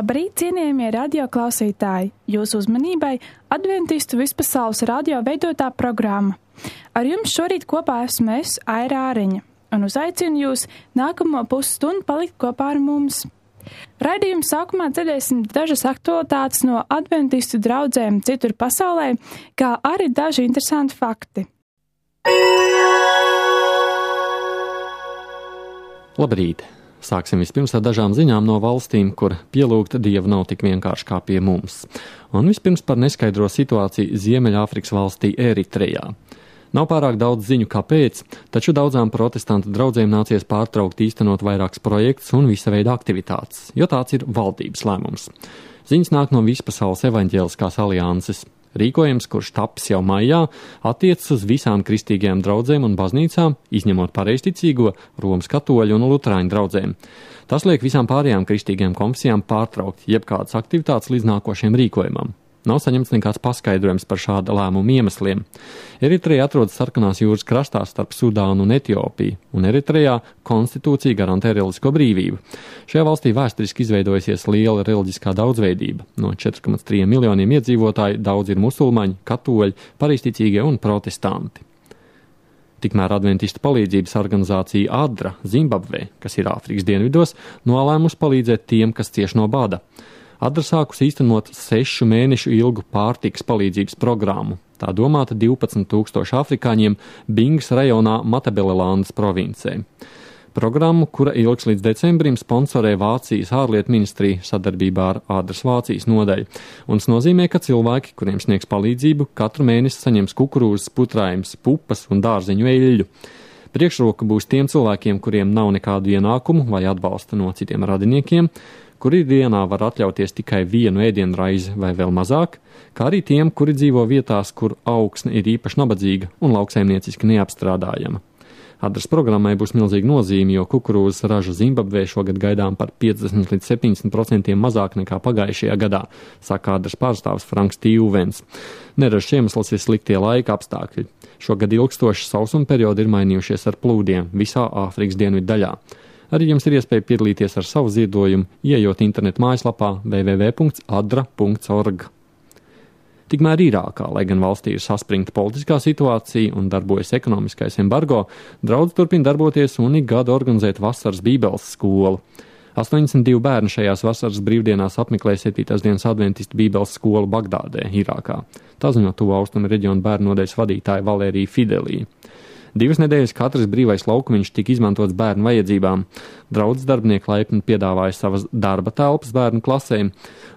Labrīt, cienījamie radio klausītāji! Jūsu uzmanībai Adventistu vispasaules radio veidotā programma. Ar jums šorīt kopā esmu es, Aira Āriņa, un uzaicinu jūs nākamo pusstundu palikt kopā ar mums. Raidījuma sākumā dzirdēsim dažas aktualitātes no adventistu draudzēm citur pasaulē, kā arī daži interesanti fakti. Labrīt! Sāksim vispirms ar dažām ziņām no valstīm, kur pielūgt Dievu nav tik vienkārši kā pie mums. Un vispirms par neskaidro situāciju Ziemeļāfrikas valstī Eritrejā. Nav pārāk daudz ziņu kāpēc, taču daudzām protestantu draudzēm nācies pārtraukt īstenot vairākus projektus un visa veida aktivitātes, jo tāds ir valdības lēmums. Ziņas nāk no Vispasaules evaņģēliskās alianses. Rīkojums, kurš tapis jau maijā, attiecas uz visām kristīgajām draudzēm un baznīcām, izņemot pareizticīgo, Romas katoļu un luterāņu draudzēm. Tas liek visām pārējām kristīgajām konfesijām pārtraukt jebkādas aktivitātes līdz nākošajam rīkojumam. Nav saņemts nekāds paskaidrojums par šāda lēmuma iemesliem. Eritreja atrodas Sarkanās jūras krastā starp Sudānu un Etiopiju, un Eritrejā konstitūcija garantē reliģisko brīvību. Šajā valstī vēsturiski izveidojusies liela reliģiskā daudzveidība. No 4,3 miljoniem iedzīvotāju daudz ir musulmaņi, katoļi, pareizticīgie un protestanti. Tikmēr adventistu palīdzības organizācija ADRA Zimbabvē, kas ir Āfrikas dienvidos, nolēmusi palīdzēt tiem, kas cieš no bada. ADRA sākus īstenot 6 mēnešu ilgu pārtikas palīdzības programmu. Tā domāta 12,000 afrikāņiem Bingas rajonā Matabelelandes provincē. Programmu, kura ilgs līdz decembrim, sponsorē Vācijas ārlietu ministrija sadarbībā ar ADRAS Vācijas nodaļu. Un tas nozīmē, ka cilvēki, kuriem sniegs palīdzību, katru mēnesi saņems kukurūzas, putrājumus, pupas un dārzeņu eļļu. Priekšroka būs tiem cilvēkiem, kuriem nav nekādu ienākumu vai atbalsta no citiem radiniekiem, kuri dienā var atļauties tikai vienu ēdienraizi vai vēl mazāk, kā arī tiem, kuri dzīvo vietās, kur augsne ir īpaši nabadzīga un lauksaimnieciski neapstrādājama. ADRAS programmai būs milzīga nozīme, jo kukurūzas raža Zimbabvē šogad gaidām par 50 līdz 70% mazāk nekā pagājušajā gadā, saka ADRAS pārstāvs Franks Tīvens. Neražas iemesls ir sliktie laika apstākļi. Šogad ilgstoši sausuma periodi ir mainījušies ar plūdiem visā Āfrikas dienvidu daļā. Arī jums ir iespēja piedalīties ar savu ziedojumu, ieejot internetu mājaslapā www.adra.org. Tikmēr Irākā, lai gan valstī ir saspringta politiskā situācija un darbojas ekonomiskais embargo, draudze turpina darboties un ik gadu organizēt vasaras bībeles skolu. 82 bērni šajās vasaras brīvdienās apmeklē 7. dienas adventistu bībeles skolu Bagdādē, Irākā. Tā ziņo Tuvu Austrumu reģionu bērnu nodaļas vadītāja Valērija Fidelī. 2 nedēļas katrs brīvais laukumiņš tika izmantots bērnu vajadzībām. Draudzes darbinieki laipni piedāvāja savas darba telpas bērnu klasēm.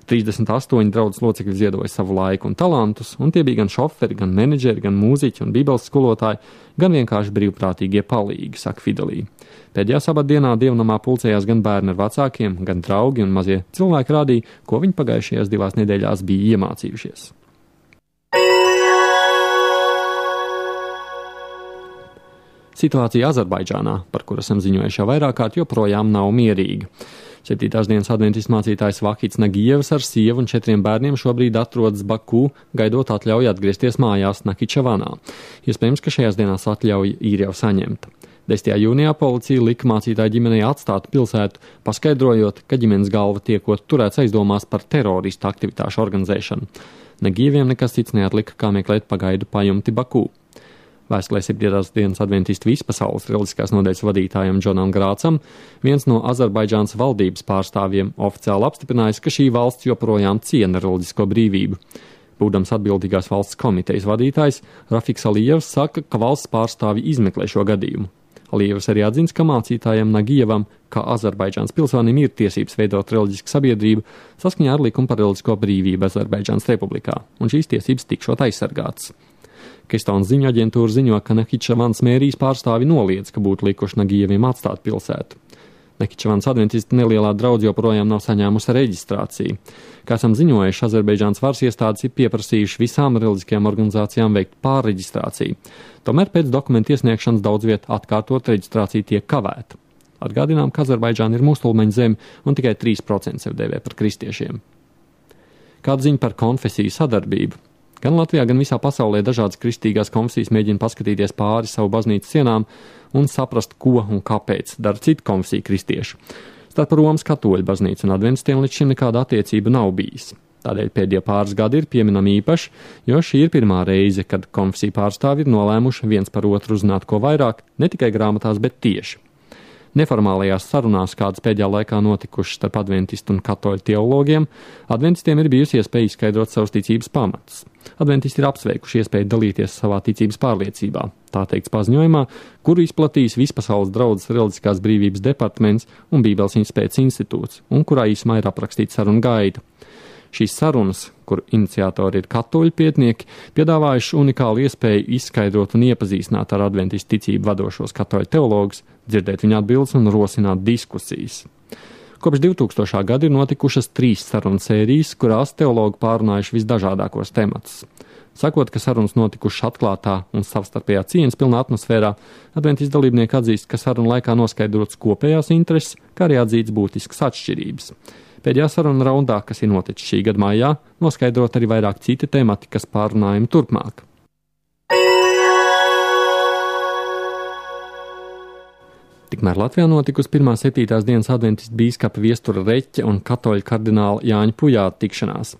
38 draudzes locekļi ziedoja savu laiku un talantus, un tie bija gan šoferi, gan menedžeri, gan mūziķi un bībeles skolotāji, gan vienkārši brīvprātīgie palīgi, saka Fidelī. Pēdējā sabatdienā dievnamā pulcējās gan bērni ar vecākiem, gan draugi un mazie cilvēki rādīja, ko viņi pagājušajās 2 nedēļās bija iemācījušies. Situācija Azerbaidžānā, par kuru esam ziņojuši jau vairāk kārt, joprojām nav mierīga. 7. dienas adventistu mācītājs Vakits Nagievs ar sievu un 4 bērniem šobrīd atrodas Baku, gaidot atļauju atgriezties mājās Nakičevanā. Iespējams, ka šajās dienās atļauja ir jau saņemta. 10. jūnijā policija lika mācītāju ģimenei atstāt pilsētu, paskaidrojot, ka ģimenes galva tiekot turēts aizdomās par teroristu aktivitāšu organizēšanu. Nagieviem nekas cits neatlika, kā meklēt pagaidu pajumti Baku. Vēstulē 7. dienas adventistu vispasaules reliģiskās nodaļas vadītājam Džonam Grācam, viens no Azerbaidžānas valdības pārstāvjiem oficiāli apstiprinājis, ka šī valsts joprojām ciena reliģisko brīvību. Būdams atbildīgās valsts komitejas vadītājs, Rafiks Alijevs saka, ka valsts pārstāvji izmeklē šo gadījumu. Alijevs arī atzins, ka mācītājam Nagievam, kā Azerbaidžānas pilsonim, ir tiesības veidot reliģisku sabiedrību saskaņā ar likumu par reliģisko brīvību Azerbaidžānas republikā, un šīs tiesības tikšot aizsargātas. Kestonas ziņu aģentūra ziņo, ka Nakičevanas mērijas pārstāvi noliedz, ka būtu likuši Nagieviem atstāt pilsētu. Nakičevanas adventistu nelielā draudze joprojām nav saņēmusi reģistrāciju. Kā esam ziņojuši, Azerbaidžānas varas iestādes ir pieprasījuši visām reliģiskajām organizācijām veikt pārreģistrāciju. Tomēr pēc dokumentu iesniegšanas daudz viet atkārtot reģistrācija tiek kavēta. Atgādinām, ka Azerbaidžāna ir musulmaņu zeme un tikai 3% sev dēvē par kristiešiem. Kāda ziņa par konfesiju sadarbību? Gan Latvijā, gan visā pasaulē dažādas kristīgās konfesijas mēģina paskatīties pāri savu baznīcas sienām un saprast, ko un kāpēc dara citu konfesiju kristiešu. Starp Romas katoļu baznīcu un adventistiem līdz šim nekāda attiecība nav bijis. Tādēļ pēdējie pāris gadi ir pieminami īpaši, jo šī ir pirmā reize, kad konfesiju pārstāvji ir nolēmuši viens par otru uzzināt ko vairāk, ne tikai grāmatās, bet tieši. Neformālajās sarunās, kādas pēdējā laikā notikušas starp adventistu un katoļu teologiem, adventistiem ir bijusi iespēja izskaidrot savus ticības pamatus. Adventisti ir apsveikuši iespēju dalīties savā ticības pārliecībā, tā teikts paziņojumā, kuru izplatījis Vispasaules draudzes reliģiskās brīvības departaments un Bībeles izpētes institūts, un kurā īsumā ir aprakstīta saruna gaita. Šīs sarunas, kur iniciatori ir katoļu pētnieki, piedāvājuši unikālu iespēju izskaidrot un iepazīstināt ar adventistu ticību vadošos katoļu teologus, dzirdēt viņu atbildes un rosināt diskusijas. Kopš 2000. gada ir notikušas 3 sarunu sērijas, kurās teologi pārunājuši visdažādākos tematus. Sakot, ka sarunas notikušas atklātā un savstarpējā cieņas pilnā atmosfērā, adventistu dalībnieki atzīst, ka sarunu laikā noskaidrots kopējās intereses, kā arī atzīts būtiskas atšķirības. Pēdējā saruna raundā, kas ir noticis šī gada maijā, noskaidrot arī vairāk citi temati, kas pārunājami turpmāk. Tikmēr Latvijā notikusi 1.7. dienas adventistu bīskapa Viestura Reķa un katoļu kardināla Jāņa Pujāta tikšanās.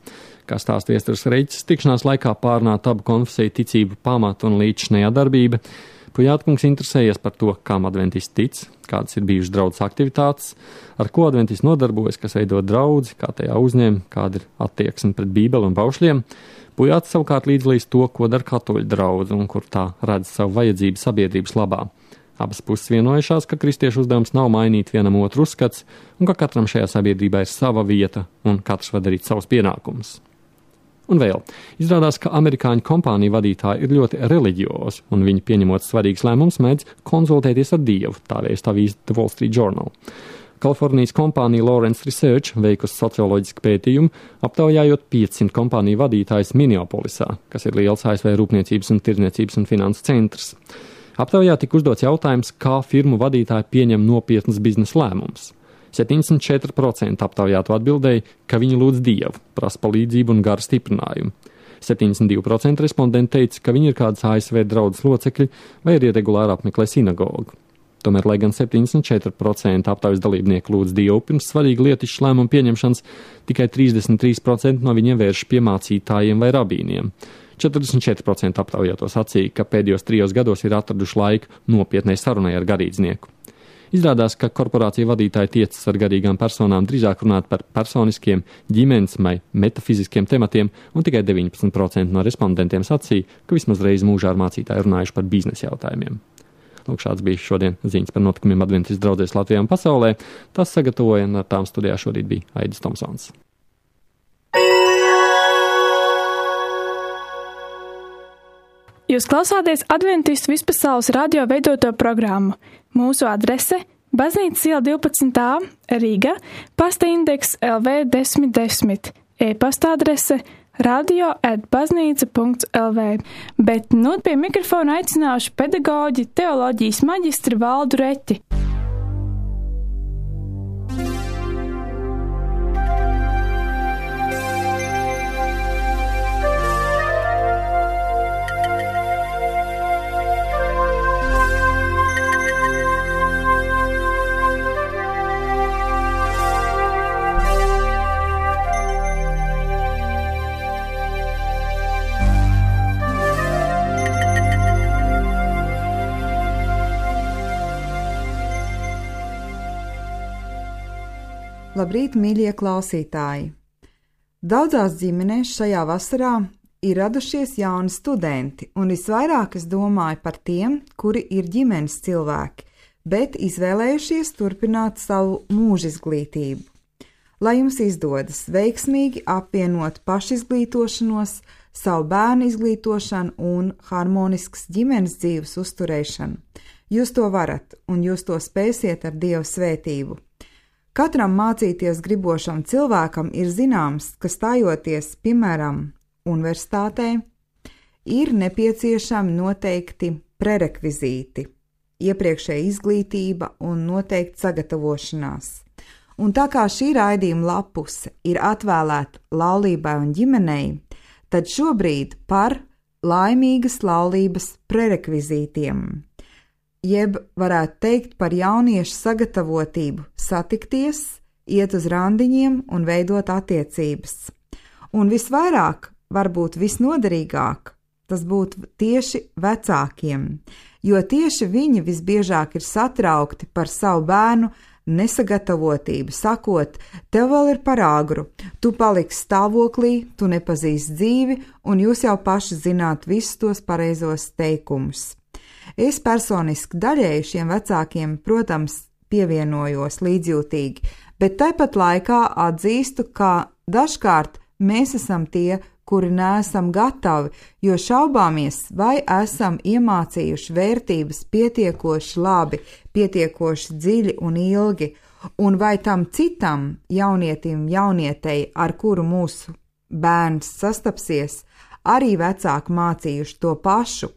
Kā stāsta Viestures Reķis, tikšanās laikā pārunāta abu konfesiju ticību pamatu un līdzinējā darbība. Pujātkungs interesējies par to, kam adventisti tic, kādas ir bijušas draudzes aktivitātes, ar ko adventisti nodarbojas, kas veido draudzi, kā tajā uzņem, kāda ir attieksme pret Bībeli un baušļiem. Pujāts savukārt līdzdalīs to, ko dara katoļu draudze un kur tā redz savu vajadzību sabiedrības labā. Abas puses vienojušās, ka kristiešu uzdevums nav mainīt vienam otru uzskats un ka katram šajā sabiedrībā ir sava vieta un katrs var darīt savus pienākumus. Un vēl, izrādās, ka amerikāņu kompāniju vadītāji ir ļoti reliģiozi, un viņi pieņemot svarīgus lēmumus mēdz konsultēties ar Dievu, tā vēsta avīze The Wall Street Journal. Kalifornijas kompānija Lawrence Research veikusi socioloģisku pētījumu, aptaujājot 500 kompāniju vadītājus Minneapolisā, kas ir liels ASV rūpniecības un tirdzniecības un finanses centrs. Aptaujā tika uzdots jautājums, kā firmu vadītāji pieņem nopietnas biznesa lēmumus. 74% aptaujāto atbildēja, ka viņi lūdz Dievu, prasa palīdzību un garu stiprinājumu. 72% respondentu teica, ka viņi ir kādas ASV draudzes locekļi vai arī regulāri apmeklē sinagogu. Tomēr, lai gan 74% aptaujas dalībnieku lūdz Dievu pirms svarīga lietišķa lēmuma pieņemšanas, tikai 33% no viņiem vērš pie mācītājiem vai rabīniem. 44% aptaujāto sacīja, ka pēdējos 3 gados ir atraduši laiku nopietnai sarunai ar garīdznieku. Izrādās, ka korporācija vadītāji tiecas ar garīgām personām drīzāk runāt par personiskiem, ģimenes vai metafiziskiem tematiem, un tikai 19% no respondentiem sacīja, ka vismaz reizi mūžā ar mācītāju runājuši par biznesa jautājumiem. Lūk, šāds bija šodien ziņas par notikumiem adventistu draudzēs Latvijā un pasaulē. Tas sagatavoja un ar tām studijā šorīt bija Aidis Tomsons. Jūs klausāties Adventistu vispasaules radio veidoto programmu. Mūsu adrese – Baznīcas iela 12a, Rīga, pasta indeks LV 1010, e-pasta adrese radio@baznīca.lv. Bet nu pie mikrofona aicināšu pedagoģi, teoloģijas maģistri Valdu Reķi. Labrīt, mīļie klausītāji! Daudzās ģimenēs šajā vasarā ir radušies jauni studenti, un visvairāk es domāju par tiem, kuri ir ģimenes cilvēki, bet izvēlējušies turpināt savu mūžizglītību. Lai jums izdodas veiksmīgi apvienot pašizglītošanos, savu bērnu izglītošanu un harmoniskas ģimenes dzīves uzturēšanu, jūs to varat, un jūs to spēsiet ar Dieva svētību. Katram mācīties gribošam cilvēkam ir zināms, ka stājoties, piemēram, universitātē, ir nepieciešami noteikti prerekvizīti, iepriekšēja izglītība un noteikti sagatavošanās. Un tā kā šī raidījuma lapuse ir atvēlēta laulībai un ģimenei, tad šobrīd par laimīgas laulības prerekvizītiem. jeb varētu teikt par jauniešu sagatavotību satikties, iet uz randiņiem un veidot attiecības. Un visvairāk, varbūt visnoderīgāk, tas būtu tieši vecākiem, jo tieši viņi visbiežāk ir satraukti par savu bērnu nesagatavotību, sakot, tev vēl ir par agru, tu paliksi stāvoklī, tu nepazīsti dzīvi, un jūs jau paši zināt visus tos pareizos teikumus. Es personiski daļēji šiem vecākiem, protams, pievienojos līdzjūtīgi, bet tāpat laikā atzīstu, ka dažkārt mēs esam tie, kuri neesam gatavi, jo šaubāmies, vai esam iemācījuši vērtības pietiekoši labi, pietiekoši dziļi un ilgi, un vai tam citam jaunietim, jaunietei, ar kuru mūsu bērns sastapsies, arī vecāki mācījuši to pašu.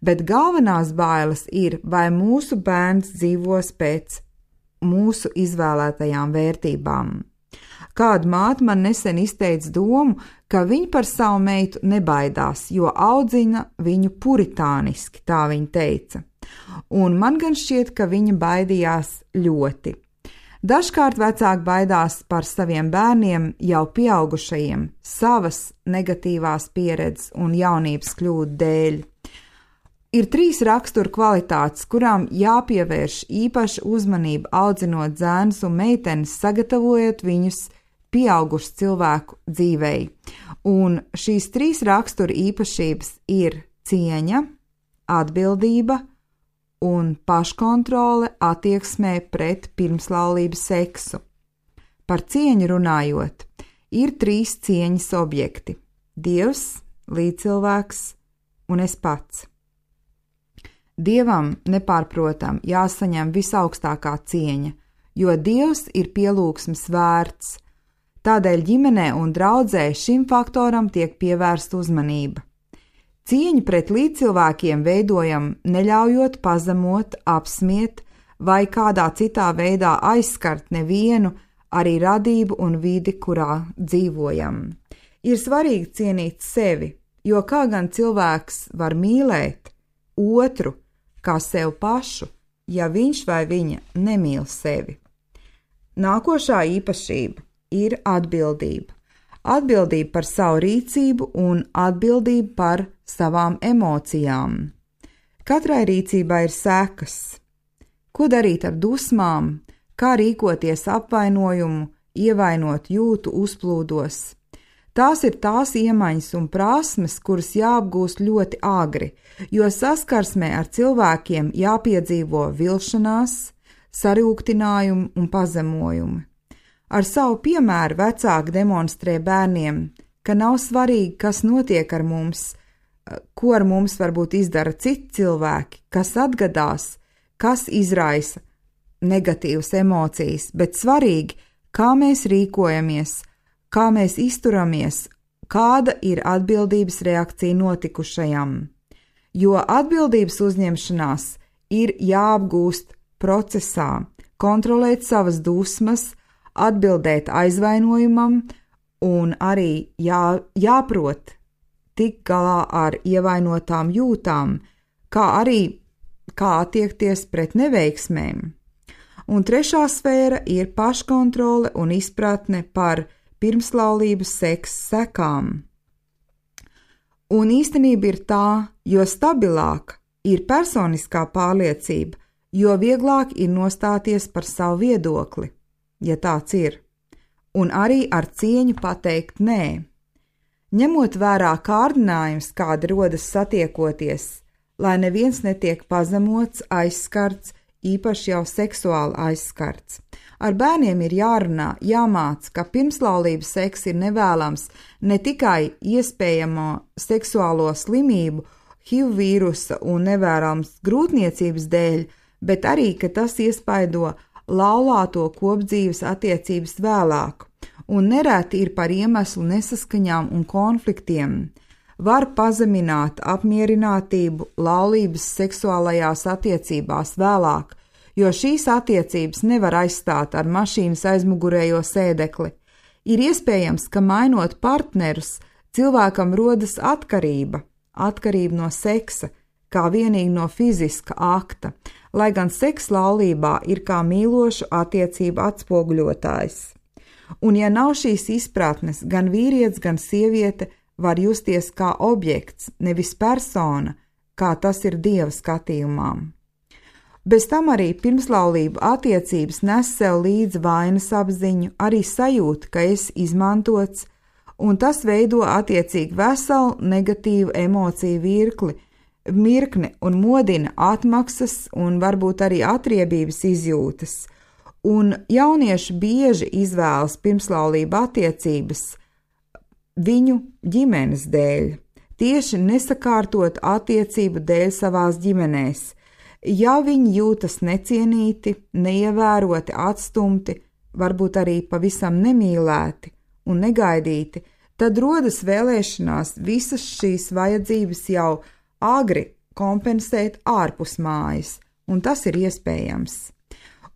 Bet galvenās bailes ir, vai mūsu bērns dzīvos pēc mūsu izvēlētajām vērtībām. Kāda māte man nesen izteica domu, ka viņa par savu meitu nebaidās, jo audzina viņu puritāniski, tā viņa teica. Un man gan šķiet, ka viņa baidījās ļoti. Dažkārt vecāki baidās par saviem bērniem jau pieaugušajiem, savas negatīvās pieredzes un jaunības kļūdu dēļ. Ir 3 raksturu kvalitātes, kurām jāpievērš īpaša uzmanība audzinot zēnus un meitenes, sagatavojot viņus pieaugušu cilvēku dzīvei. Un šīs 3 rakstura īpašības ir cieņa, atbildība un paškontrole attieksmē pret pirmslaulības seksu. Par cieņu runājot, ir 3 cieņas objekti – Dievs, līdzcilvēks un es pats. Dievam nepārprotam jāsaņem visaugstākā cieņa, jo Dievs ir pielūgsmes vērts. Tādēļ ģimenē un draudzē šim faktoram tiek pievērsta uzmanība. Cieņu pret līdzcilvēkiem veidojam neļaujot pazemot, apsmiet vai kādā citā veidā aizskart nevienu, arī radību un vidi, kurā dzīvojam. Ir svarīgi cienīt sevi, jo kā gan cilvēks var mīlēt otru kā sev pašu, ja viņš vai viņa nemīl sevi. Nākošā īpašība ir atbildība. Atbildība par savu rīcību un atbildība par savām emocijām. Katrai rīcībai ir sekas. Ko darīt ar dusmām, kā rīkoties apvainojumu, ievainot jūtu uzplūdos. Tās ir tās iemaņas un prasmes, kuras jāapgūst ļoti agri, jo saskarsmē ar cilvēkiem jāpiedzīvo vilšanās, sarūktinājumu un pazemojumu. Ar savu piemēru vecāki demonstrē bērniem, ka nav svarīgi, kas notiek ar mums, ko ar mums varbūt izdara citi cilvēki, kas atgadās, kas izraisa negatīvas emocijas, bet svarīgi, kā mēs rīkojamies, kā mēs izturamies, kāda ir atbildības reakcija notikušajam. Jo atbildības uzņemšanās ir jāapgūst procesā, kontrolēt savas dusmas, atbildēt aizvainojumam un arī jāprot tikt galā ar ievainotām jūtām, kā arī kā attiekties pret neveiksmēm. Un trešā sfēra ir paškontrole un izpratne par pirmslaulības seksa sekām. Un īstenība ir tā, jo stabilāka ir personiskā pārliecība, jo vieglāk ir nostāties par savu viedokli, ja tāds ir, un arī ar cieņu pateikt nē. Ņemot vērā kārdinājums, kāda rodas satiekoties, lai neviens netiek pazemots, aizskarts, īpaši jau seksuāli aizskarts. Ar bērniem ir jārunā, jāmāc, ka pirmslaulības seks ir nevēlams ne tikai iespējamo seksuālo slimību, HIV vīrusa un nevēlams grūtniecības dēļ, bet arī, ka tas iespaido laulāto kopdzīves attiecības vēlāk, un nereti ir par iemeslu nesaskaņām un konfliktiem. Var pazemināt apmierinātību laulības seksuālajās attiecībās vēlāk, jo šīs attiecības nevar aizstāt ar mašīnas aizmugurējo sēdekli. Ir iespējams, ka mainot partnerus, cilvēkam rodas atkarība no seksa, kā vienīgi no fiziska akta, lai gan seks laulībā ir kā mīlošu attiecību atspoguļotājs. Un ja nav šīs izpratnes, gan vīrietis, gan sieviete var justies kā objekts, nevis persona, kā tas ir Dieva skatījumā. Bez tam arī pirmslaulību attiecības nes sev līdzi vainas apziņu, arī sajūta, ka esi izmantots, un tas veido attiecīgi veselu negatīvu emociju mirkni un modina atmaksas un varbūt arī atriebības izjūtas. Un jaunieši bieži izvēlas pirmslaulību attiecības viņu ģimenes dēļ, tieši nesakārtot attiecību dēļ savās ģimenēs. Ja viņi jūtas necienīti, neievēroti, atstumti, varbūt arī pavisam nemīlēti un negaidīti, tad rodas vēlēšanās visas šīs vajadzības jau agri kompensēt ārpus mājas, un tas ir iespējams.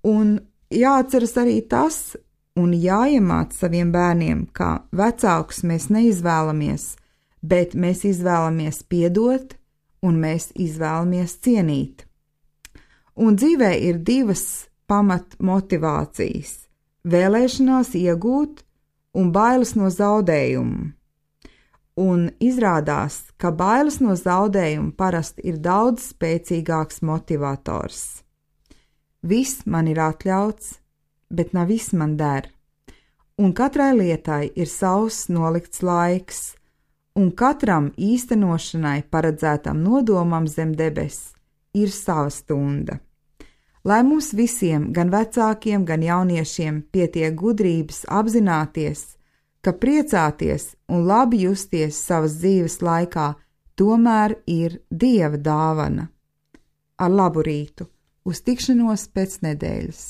Un jāatceras arī tas, un jāiemāc saviem bērniem, ka vecākus mēs neizvēlamies, bet mēs izvēlamies piedot, un mēs izvēlamies cienīt. Un dzīvē ir divas pamatmotivācijas – vēlēšanās iegūt un bailes no zaudējuma. Un izrādās, ka bailes no zaudējuma parasti ir daudz spēcīgāks motivators. Viss man ir atļauts, bet nav viss man der. Un katrai lietai ir savs nolikts laiks, un katram īstenošanai paredzētam nodomam zem debes ir sava stunda. Lai mums visiem, gan vecākiem, gan jauniešiem, pietiek gudrības apzināties, ka priecāties un labi justies savas dzīves laikā tomēr ir Dieva dāvana. Ar labu rītu, uz tikšanos pēc nedēļas!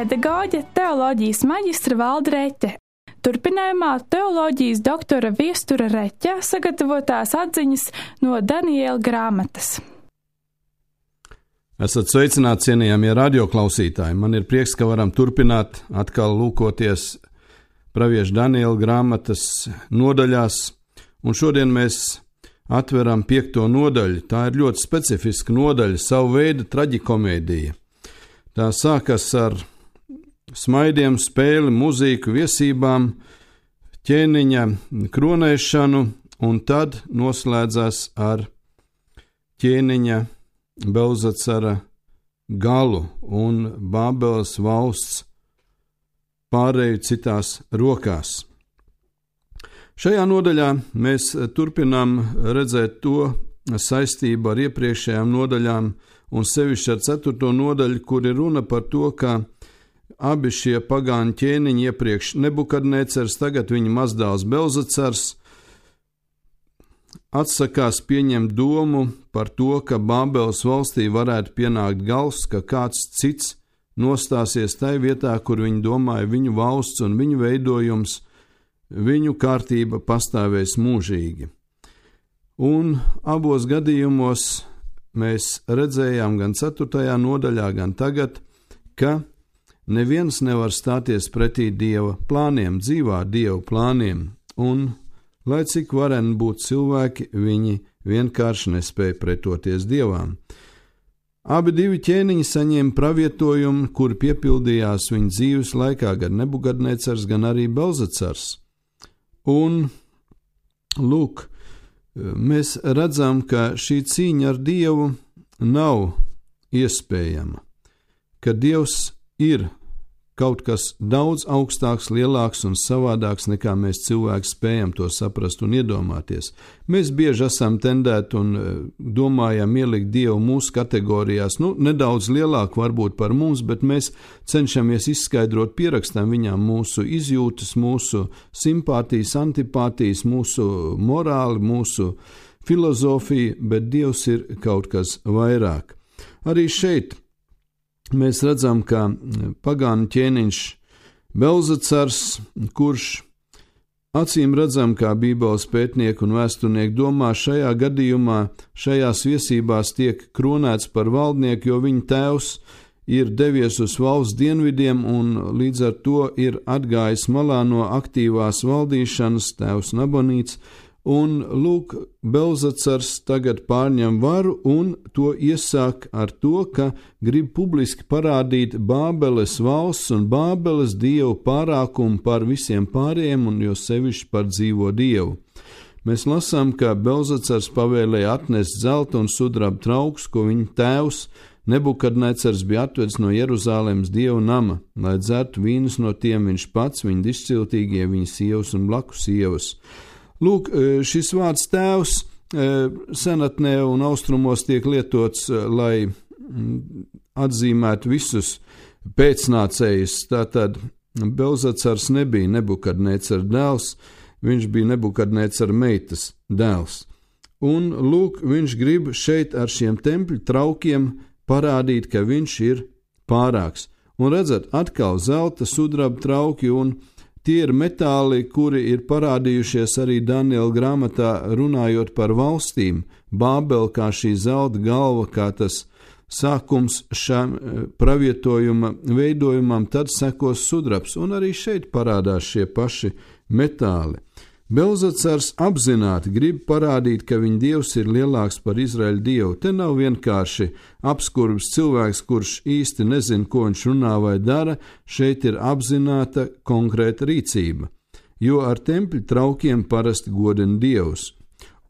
Pedagoģe, teoloģijas maģistra Valda Reķe. Turpinājumā teoloģijas doktora Viestura Reķe sagatavotās atziņas no Daniela grāmatas. Esat sveicināti, cienījamie radioklausītāji. Man ir prieks, ka varam turpināt atkal lūkoties pravieša Daniela grāmatas nodaļās, un šodien mēs atveram 5. nodaļu. Tā ir ļoti specifiska nodaļa, savu veidu traģikomēdija. Tā sākas ar smaidiem, spēli, mūziku, viesībām, ķēniņa kronēšanu, un tad noslēdzās ar ķēniņa Belzacara galu un Bābeles valsts pārēju citās rokās. Šajā nodaļā mēs turpinām redzēt to saistību ar iepriekšējām nodaļām, un sevišķi ar 4. nodaļu, kur ir runa par to, ka abi šie pagāņu ķēniņi iepriekš Nebukadnecars, tagad viņa mazdēls Belzacars, atsakās pieņemt domu par to, ka Bābeles valstī varētu pienākt gals, ka kāds cits nostāsies tai vietā, kur viņi domāja viņu valsts un viņu veidojums, viņu kārtība pastāvēs mūžīgi. Un abos gadījumos mēs redzējām gan 4. nodaļā, gan tagad, ka neviens nevar stāties pretī Dieva plāniem, dzīvā Dieva plāniem, un, lai cik vareni būt cilvēki, viņi vienkārši nespēja pretoties Dievam. Abi divi ķēniņi saņēma pravietojumu, kur piepildījās viņa dzīves laikā, gan Nebukadnecars, gan arī Belzacars. Un, lūk, mēs redzam, ka šī cīņa ar Dievu nav iespējama, ka Dievs ir kaut kas daudz augstāks, lielāks un savādāks, nekā mēs cilvēki spējam to saprast un iedomāties. Mēs bieži esam tendēti un domājam ielikt Dievu mūsu kategorijās, nedaudz lielāk varbūt par mums, bet mēs cenšamies izskaidrot, pierakstam viņām mūsu izjūtas, mūsu simpātijas, antipātijas, mūsu morāli, mūsu filozofiju, bet Dievs ir kaut kas vairāk. Arī šeit mēs redzam, ka pagānu ķēniņš Belzacars, kurš acīm redzam, kā Bībeles pētnieki un vēsturnieki domā, šajā gadījumā, šajās viesībās tiek kronēts par valdnieku, jo viņa tēvs ir devies uz valsts dienvidiem un līdz ar to ir atgājis malā no aktīvās valdīšanas, tēvs Nabonīts, un lūk, Belzacars tagad pārņem varu un to iesāk ar to, ka grib publiski parādīt Bābeles valsts un Bābeles dievu pārākumu par visiem pārējiem un jo sevišķi par dzīvo dievu. Mēs lasām, ka Belzacars pavēlēja atnest zelta un sudraba traukus, ko viņa tēvs Nebukadnecars bija atvedis no Jeruzālēmas dievu nama, lai dzertu vīnus no tiem viņš pats, viņa dišciltīgie, viņa sievas un blakus sievas. Lūk, šis vārds tēvs senatnē un austrumos tiek lietots, lai atzīmētu visus pēcnācējus. Tātad Belzacars nebija Nebukadnecara dēls, viņš bija Nebukadnecara meitas dēls. Un lūk, viņš grib šeit ar šiem tempļu traukiem parādīt, ka viņš ir pārāks. Un redzat, atkal zelta, sudraba trauki un tie ir metāli, kuri ir parādījušies arī Daniela grāmatā runājot par valstīm. Bābele kā šī zelta galva, kā tas sākums šam pravietojuma veidojumam, tad sekos sudrabs, un arī šeit parādās šie paši metāli. Belzacars apzināti grib parādīt, ka viņa dievs ir lielāks par Izraēļa dievu. Te nav vienkārši apskurbs cilvēks, kurš īsti nezina, ko viņš runā vai dara, šeit ir apzināta konkrēta rīcība, jo ar tempļu traukiem parasti godina dievs.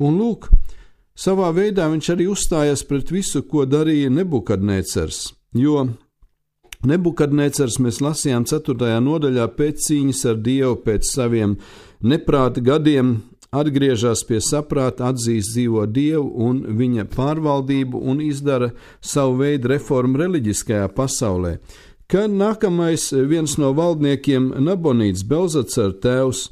Un lūk, savā veidā viņš arī uzstājas pret visu, ko darīja Nebukadnecars, jo Nebukadnecars mēs lasījām 4. nodaļā pēc cīņas ar dievu, pēc saviem neprāta gadiem atgriežas pie saprāta, atzīst dzīvo dievu un viņa pārvaldību un izdara savu veidu reformu reliģiskajā pasaulē. Kad nākamais viens no valdniekiem Nabonīts, Belzacara tēvs,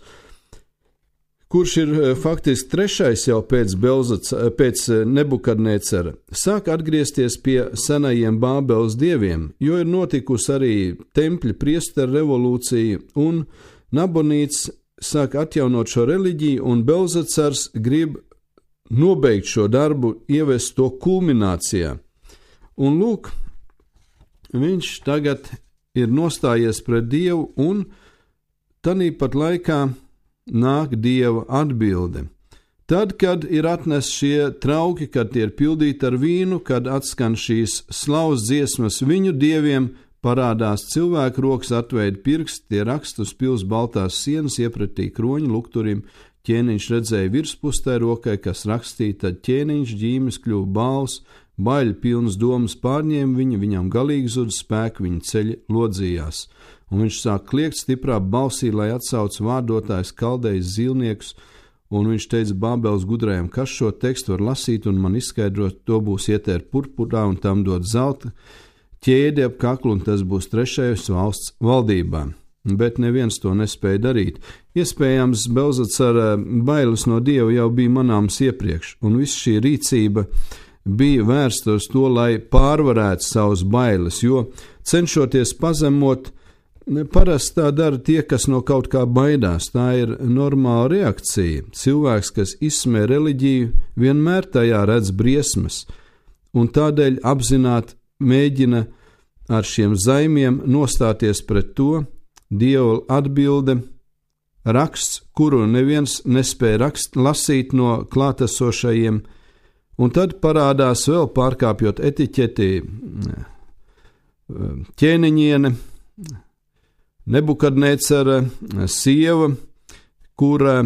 kurš ir faktiski trešais jau pēc Nebukadnecara, sāk atgriezties pie senajiem Bābeles dieviem, jo ir notikusi arī tempļa priesteru revolūcija, un Nabonīts sāk atjaunot šo reliģiju, un Belzacars grib nobeigt šo darbu, ievest to kulminācijā. Un lūk, viņš tagad ir nostājies pret Dievu, un tanīpat laikā nāk Dieva atbilde. Tad, kad ir atnest šie trauki, kad tie ir pildīti ar vīnu, kad atskan šīs slavas dziesmas viņu dieviem, parādās cilvēku rokas atveida pirksti, tie raksta uz pils baltās sienas, iepratī kroņa lukturim, ķēniņš redzēja virspustē rokai, kas rakstīja, tad ķēniņš ģīmes kļuva bāls, baļu pilnas domas pārņēma viņu, viņam galīgi zuda spēku, viņa ceļi lodzījās. Un viņš sāk kliegt stiprā balsī, lai atsauc vārdotājs kaldējs zīlniekus, un viņš teica Bābeles gudrajam, kas šo tekstu var lasīt un man izskaidrot, to būs ietēr purpurā un tam dot zelta ķēdi ap kaklu, un tas būs trešajos valsts valdībā. Bet neviens to nespēja darīt. Iespējams, Belzacara bailes no Dieva jau bija manāms iepriekš, un viss šī rīcība bija vērsta uz to, lai pārvarētu savus bailes, jo cenšoties pazemot, parasti tā dara tie, kas no kaut kā baidās. Tā ir normāla reakcija. Cilvēks, kas izsmē reliģiju, vienmēr tajā redz briesmas. un tādēļ apzināti mēģina ar šiem zaimiem nostāties pret to. Dieva atbilde, raksts, kuru neviens nespēja lasīt no klātesošajiem, un tad parādās vēl pārkāpjot etiķeti ķēniņiene, Nebukadnecera sieva, kura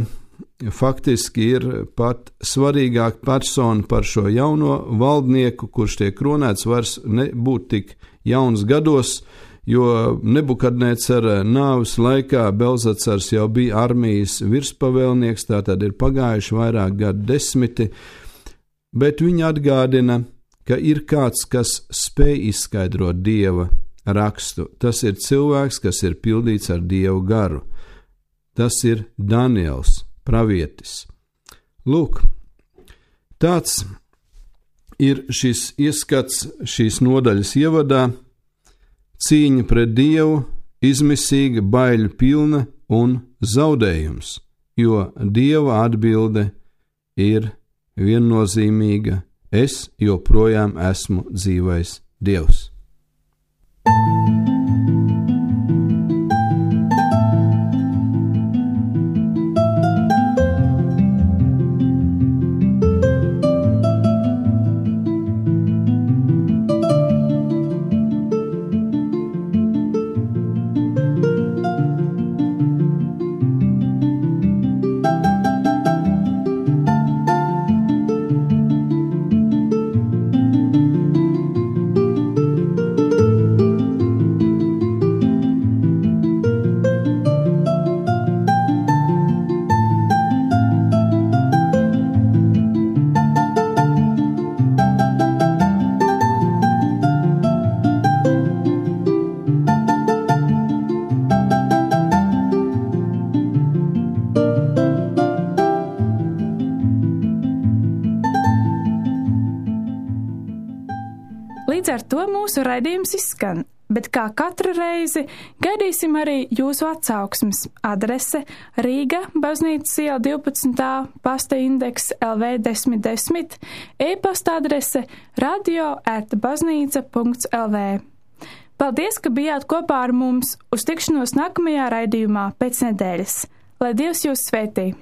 faktiski ir pat svarīgāka persona par šo jauno valdnieku, kurš tiek kronēts, vairs nebūt tik jauns gados, jo Nebukadnecera nāves laikā Belzacars jau bija armijas virspavēlnieks, tātad ir pagājuši vairāk gadu desmiti, bet viņa atgādina, ka ir kāds, kas spēj izskaidrot Dieva rakstu. Tas ir cilvēks, kas ir pildīts ar Dievu garu. Tas ir Daniels, pravietis. Lūk, tāds ir šis ieskats šīs nodaļas ievadā. Cīņa pret Dievu, izmisīga, baiļu pilna un zaudējums, jo Dieva atbilde ir viennozīmīga: es joprojām esmu dzīvais Dievs. Līdz ar to mūsu raidījums izskan, bet kā katru reizi gaidīsim arī jūsu atsauksmes. Adrese Rīga, Baznīcas iela 12. pasta indeks LV 1010, e-pasta adrese radio@baznīca.lv. Paldies, ka bijāt kopā ar mums. Uz tikšanos nākamajā raidījumā pēc nedēļas. Lai Dievs jūs svētī!